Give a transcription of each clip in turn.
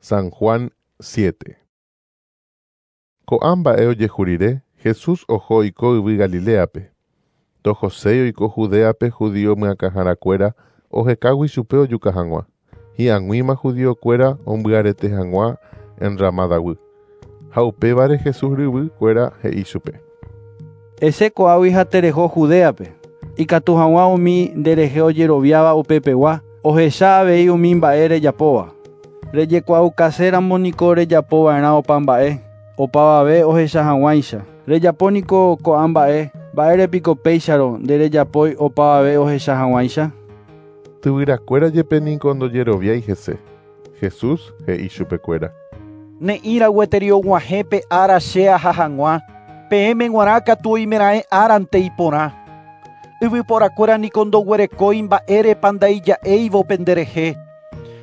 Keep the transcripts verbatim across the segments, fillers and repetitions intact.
San Juan siete. Ko'ã mba'e ojehu rire, Jesús oho oiko yvy Galileape. Ndohoséi oiko Judeape judío myakãharakuéra ohekágui chupe ojuka hag̃ua. Hi'ag̃uíma judiokuéra ombyarete hag̃ua Enramadaguy. Ha upévare Jesús ryvykuéra he'i chupe. Esẽ ko'águi ha tereho Judeape. Ikatu hag̃ua umi nderehe ojeroviáva upepegua ohecha avei umi mba'e rejapóva. Rejekuaukaséramo niko rejapova'erã opa mba'e, opavave ohecha hag̃uáicha. Rejapo niko ko'ã mba'e, mba'érepiko péicharõ nderejapói opavave ohecha hag̃uáicha. Tyvyrakuéra jepe niko ndojeroviái hese. Jesús he'i chupekuéra. Ne'ĩra gueteri og̃uahẽ ára che aha hag̃ua, peẽme g̃uarã katu oimeraẽ árante iporã. Yvyporakuéra niko ndoguerekói mba'érepa ndaija'éivo penderehe.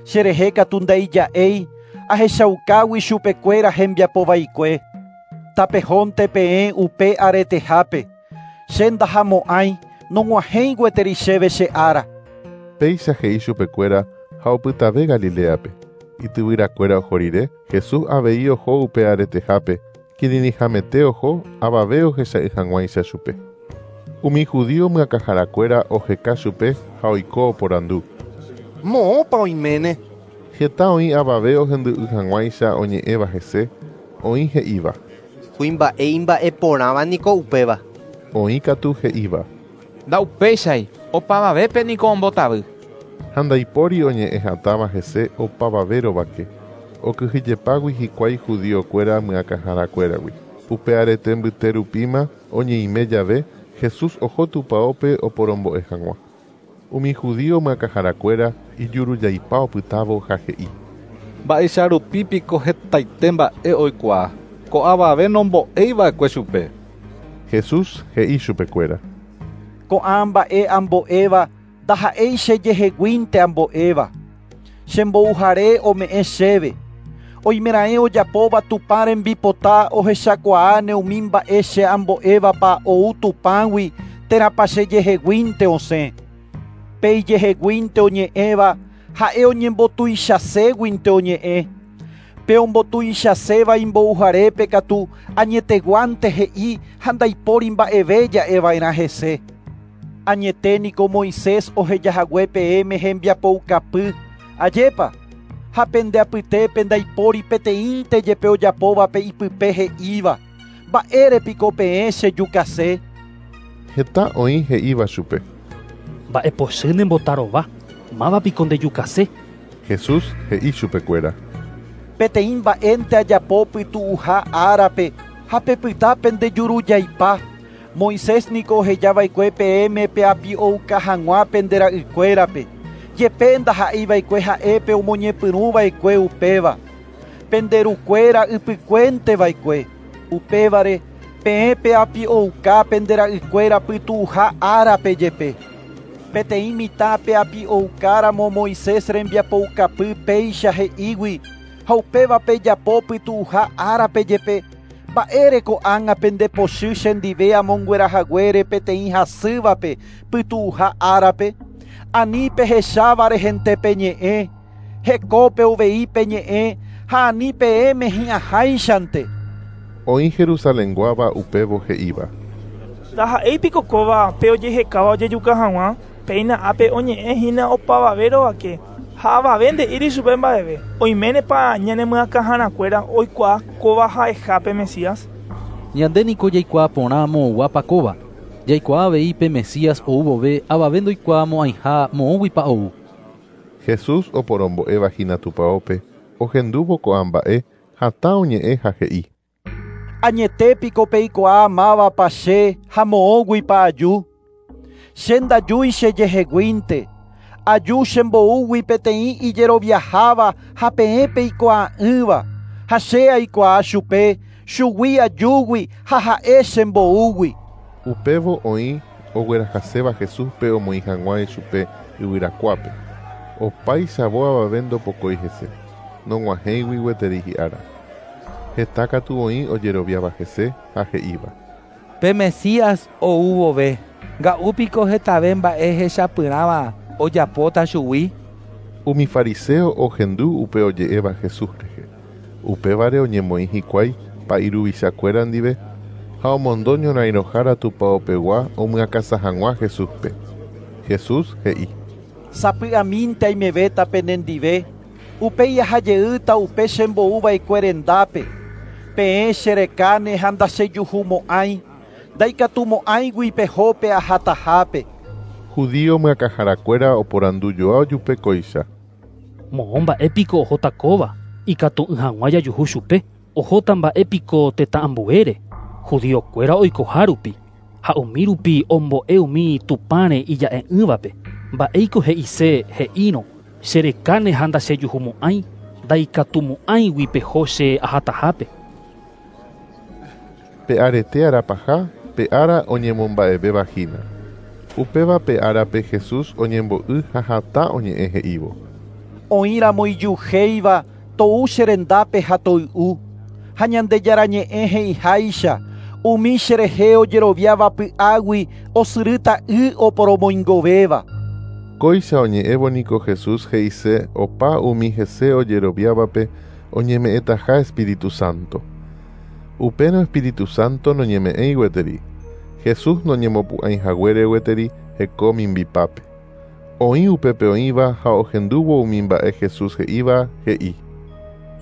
Cherehe katu ndaija'éi ahechaukágui chupekuéra hembiapovaikue. Tapehónte peẽ upe aretehápe. Che ndahamo'ãi nog̃uahẽi gueteri chéve che ára. Péicha he'i chupekuéra ha opytave Galileape. Ityvyrakuéra oho rire, Jesús avei oho upe aretehápe, kirirĩhamete oho avave ohecha'ỹ hag̃uáicha chupe. Umi judío myakãharakuéra oheka chupe ha oiko oporandu. Moõpa oiméne. Heta oĩ avave ohendu'ỹ hag̃uáicha oñe'ẽva hese, oĩ he'íva. Kuimba'e imba'eporãva niko upéva. Oĩ katu he'íva. Ndaupéichai, opavavépe niko ombotavy. Ha ndaipóri oñe'ẽ hatãva hese opavave rovake. Okyhyjepágui hikuái judiokuéra myakãharakuéragui. Upe arete mbyterupíma oñeime jave, Jesús oho tupãópe oporombo'e hag̃ua. Umi judío myakãharakuéra ijurujaipa opytávo ha he'i. Mba'eicharupípiko hetaite mba'e oikuaa, ko'ãvave nombo'eiva'ekue chupe. Jesús he'i chupekuéra. Ko'ã mba'e ambo'éva ndaha'éi chejeheguínte ambo'éva. Chembouhare ome'ẽ chéve. Oimeraẽ ojapóva Tupã rembipota ohechakuaáne umi mba'e che ambo'évapa ou Tupãgui térãpa chejeheguínte osẽ. Pe ijeheguínte oñe'ẽva ha'e oñembotuichaséguinte oñe'ẽ. Pe ombotuichaséva imbouharépe katu añeteguánte he'i ha ndaipóri mba'eve ja'eva'erã hese. Añete niko Moisés ohejahague peẽme hembiapoukapy. Ajépa, ha pende apytépe ndaipóri peteĩnte jepe ojapóvape ipype he'íva. Mba'érepiko peẽ chejukase. Heta oĩ he'íva chupe. Mba'epochy nembotarova, mávapiko ndejukase. Jesús he'i chupekuéra. Peteĩ mba'énte ajapo pytu'uha árape ha pepyta pendejurujaipa. Moisés niko ohejava'ekue peẽme peapi'ouka hag̃ua pende ra'ykuérape. Jepe ndaha'eiva'ekue ha'épe omoñepyrũva'ekue upéva. Penderukuéra ypykuénteva'ekue. Upévare peẽ peapi'ouka pende ra'ykuéra pytu'uha árape jepe. Peteĩ mitã peapi'oukáramo Moisés rembiapoukapy péicha he'ígui ha upéva pejapo pytu'uha árape jepe. Mba'ére ko'ág̃a pendepochy chendive amonguerahaguére peteĩ hasývape pytu'uha árape. Ani pehecháva rehente peñe'ẽ, hekópe uvei peñe'ẽ ha ani peẽme hi'ãháichante. Oĩ Jerusalenguáva upévo he'íva. Ndaha'éipiko kóva pe ojehekáva ojejuka hag̃ua, péina ápe oñe'ẽhína opavave rovake ha avave nde'íri chupe mba'eve. Oiménepa ñanemyakãharakuéra oikuaa kóva ha'eha pe Mesías. Ñande niko jaikuaa porã moõguápa kóva. Jaikuaa avei pe Mesías ou vove avave ndoikuaamo'ãiha moõguipa ou. Jesús oporombo'éva hína tupãópe ohendúvo ko'ã mba'e hatã oñe'ẽ ha he'i. Añetépiko peikuaa mávapa che ha moõguipa aju. Che ndajúi chejeheguínte. Aju chemboúgui peteĩ ijeroviaháva ha peẽ peikuaa'ỹva. Ha che aikuaa chupe, chugui ajúgui ha ha'e chemboúgui. Upévo oĩ oguerahaséva Jesúspe omoĩ hag̃ua ichupe yvyrakuápe. Opáichavo avave ndopokói hese, nog̃uahẽigui gueteri hi'ára. Heta katu oĩ ojeroviáva hese ha he'íva. Pe Mesías ou vove, nga'úpiko hetave mba'e hechapyrãva ojapóta chugui. Umi fariseo ohendu upe oje'éva Jesús rehe. Upévare oñemoĩ hikuái pa'i ruvichakuéra ndive ha omondo ñorairõhára tupaopegua omyakãsã hag̃ua Jesúspe. Jesús he'i: Sapy'amínte aimevéta penendive, upéi ahajeýta upe chembouva'ekue rendápe. Peẽ cherekáne ha ndachejuhumo'ãi, ndaikatumo'ãigui pehópe ahatahápe. Judío myakãharakuéra oporandujoa ojupe kóicha. Moõ mba'épiko ohóta kóva, ikatu'ỹ hag̃ua jajuhu chupe, ohóta mba'épiko tetã ambuére, judíokuéra oikoha rupi, ha umi rupi ombo'e umi Tupãre ija'e'ỹvape. Mba'éiko he'ise he'írõ cherekáne ha ndachejuhumo'ãi, ndaikatumo'ãigui peho che ahatahápe. Pe arete arapaha, pe ára oñemomba'evéva hína. Upéva pe árape Jesús oñembo'y ha hatã oñe'ẽ he'ívo. Oĩramo ijyuhéiva tou che rendápe ha toy'u. Ha Ñandejára ñe'ẽ he'iháicha, umi cherehe ojeroviáva py'águi osyrýta y oporomoingovéva. Kóicha oñe'ẽvo niko Jesús he'ise opa umi hese ojeroviávape oñeme'ẽtaha Espíritu Santo. Upérõ Espíritu Santo noñeme'ẽi gueteri. Jesús noñemopu'ãihaguére gueteri heko mimbipápe. Oĩ upépe oĩva ha ohendúvo umi mba'e Jesús he'íva he'i.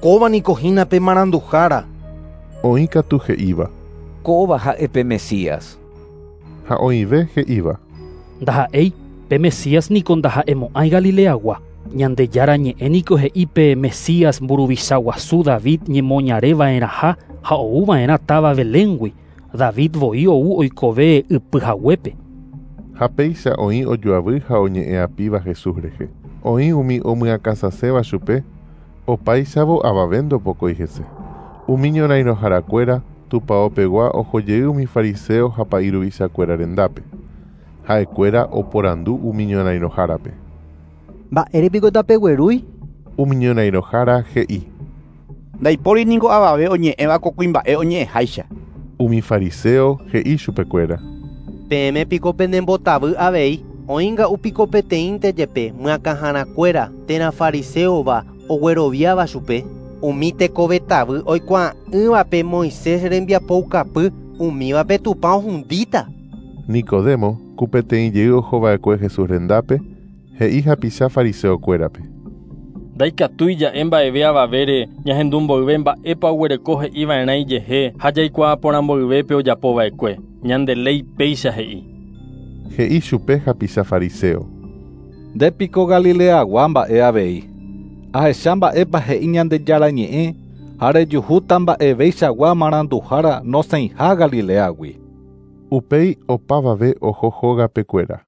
Kóva niko hína pe maranduhára. Oĩ katu he'íva. Kóva ha'e pe Mesías. Ha oĩve he'íva. Ndaha'éi, pe Mesías niko ndaha'emo'ãi Galileagua. Ñandejára ñe'ẽ niko he'i pe Mesías mburuvicha guasu David ñemoñareva'erãha ha ouva'erã táva Beléngui. David voi ou oikove ypyhaguépe. Ha péicha oĩ ojoavy ha oñe'ẽapíva Jesús rehe. Oĩ umi omyakãsãséva chupe, opáichavo avave ndopokói hese. Umi ñorairõharakuéra tupaopegua ohojey umi fariseo ha pa'i ruvichakuéra rendápe. Ha'ekuéra oporandu umi ñorairõhárape. Mba'érepiko tapeguerúi? Umi ñorairõhára he'i. Ndaipóri niko avave oñe'ẽva ko kuimba'e oñe'ẽháicha. Umi fariseo he'i chupekuéra. Peẽme piko penembotavy avei, oĩnga'u piko peteĩnte jepe myakãharakuéra térã fariseóva ogueroviáva chupe. Umi tekovetavy oikuaa'ỹvape Moisés rembiapoukapy umívape Tupã ohundíta. Nicodemo, ku peteĩ jey ohova'ekue Jesús rendápe, he'i hapicha fariseokuérape. Ndaikatúi ja'e mba'eve avavére ñahendu mboyve mba'épa oguereko he'iva'erã ijehe ha jaikuaa porã mboyvépe ojapova'ekue. Ñande léi péicha he'i. He'i chupe hapicha fariseo. Ndépiko Galileagua mba'e avei. Ahecha mba'épa he'i Ñandejára ñe'ẽ ha rejuhúta mba'eveichagua maranduhára nosẽiha Galileagui. Upéi opavave oho hógapekuéra.